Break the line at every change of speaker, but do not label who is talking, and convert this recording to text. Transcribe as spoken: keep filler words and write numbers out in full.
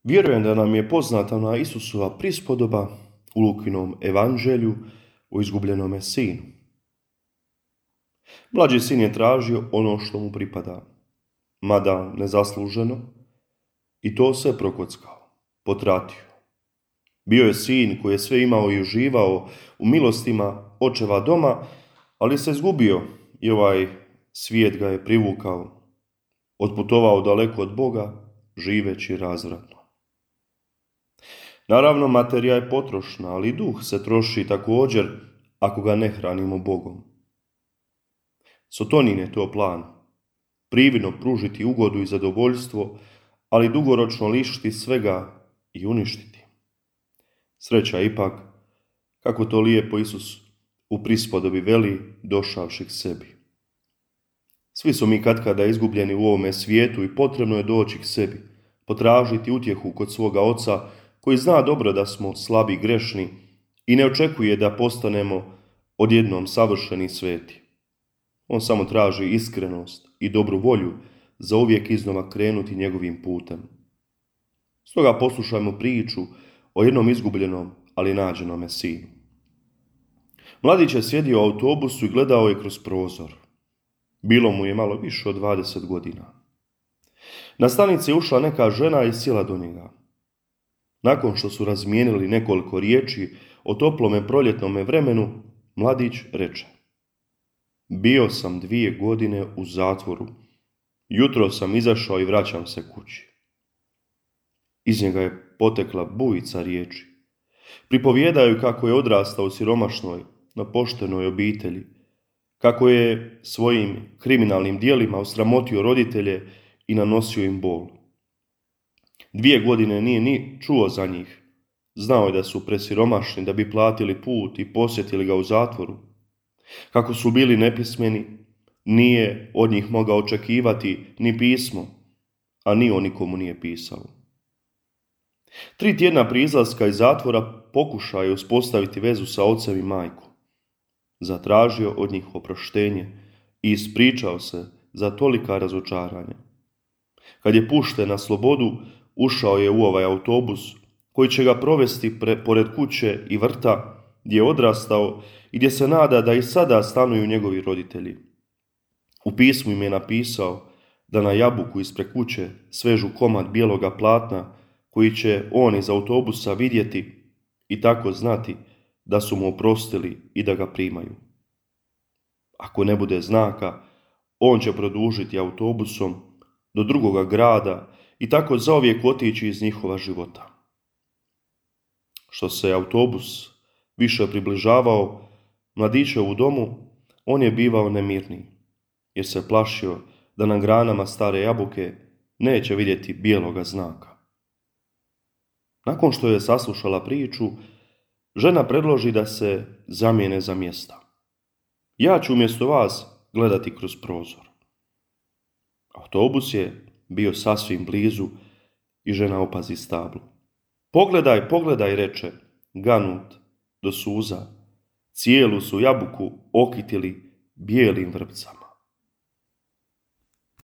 Vjerujem da nam je poznata ona Isusova prispodoba u Lukinom evanđelju o izgubljenome sinu. Mlađi sin je tražio ono što mu pripada, mada nezasluženo, i to se prokockao, potratio. Bio je sin koji je sve imao i uživao u milostima očeva doma, ali se izgubio i ovaj svijet ga je privukao. Otputovao daleko od Boga, živeći razvratno. Naravno, materija je potrošna, ali duh se troši također ako ga ne hranimo Bogom. Sotonin je to plan. Prividno pružiti ugodu i zadovoljstvo, ali dugoročno lišiti svega i uništiti. Sreća ipak, kako to lijepo Isus u prispodobi veli, došavši k sebi. Svi smo mi katkada izgubljeni u ovome svijetu i potrebno je doći k sebi, potražiti utjehu kod svoga Oca, koji zna dobro da smo slabi i grešni i ne očekuje da postanemo odjednom savršeni sveti. On samo traži iskrenost i dobru volju za uvijek iznova krenuti njegovim putem. Stoga poslušajmo priču o jednom izgubljenom, ali nađenome sinu. Mladić je sjedio u autobusu i gledao je kroz prozor. Bilo mu je malo više od dvadeset godina. Na stanici je ušla neka žena i sjela do njega. Nakon što su razmijenili nekoliko riječi o toplome proljetnome vremenu, mladić reče: Bio sam dvije godine u zatvoru. Jutro sam izašao i vraćam se kući. Iz njega je potekla bujica riječi. Pripovijedaju kako je odrastao u siromašnoj, napoštenoj obitelji, kako je svojim kriminalnim dijelima osramotio roditelje i nanosio im bol. Dvije godine nije ni čuo za njih. Znao je da su presiromašni da bi platili put i posjetili ga u zatvoru. Kako su bili nepismeni, nije od njih mogao očekivati ni pismo, a ni on nikomu nije pisao. Tri tjedna prije izlaska iz zatvora pokušao je uspostaviti vezu sa ocem i majkom. Zatražio od njih oproštenje i ispričao se za tolika razočaranja. Kad je pušten na slobodu, ušao je u ovaj autobus koji će ga provesti pre, pored kuće i vrta gdje je odrastao i gdje se nada da i sada stanuju njegovi roditelji. U pismu im je napisao da na jabuku ispred kuće svežu komad bijeloga platna koji će on iz autobusa vidjeti i tako znati da su mu oprostili i da ga primaju. Ako ne bude znaka, on će produžiti autobusom do drugoga grada i tako zauvijek otići iz njihova života. Što se autobus više približavao mladićevu domu, on je bivao nemirniji, jer se plašio da na granama stare jabuke neće vidjeti bijeloga znaka. Nakon što je saslušala priču, žena predloži da se zamijene za mjesta. Ja ću umjesto vas gledati kroz prozor. Autobus je bio sasvim blizu i žena opazi stablo. Pogledaj, pogledaj, reče, ganut do suza. Cijelu su jabuku okitili bijelim vrpcama.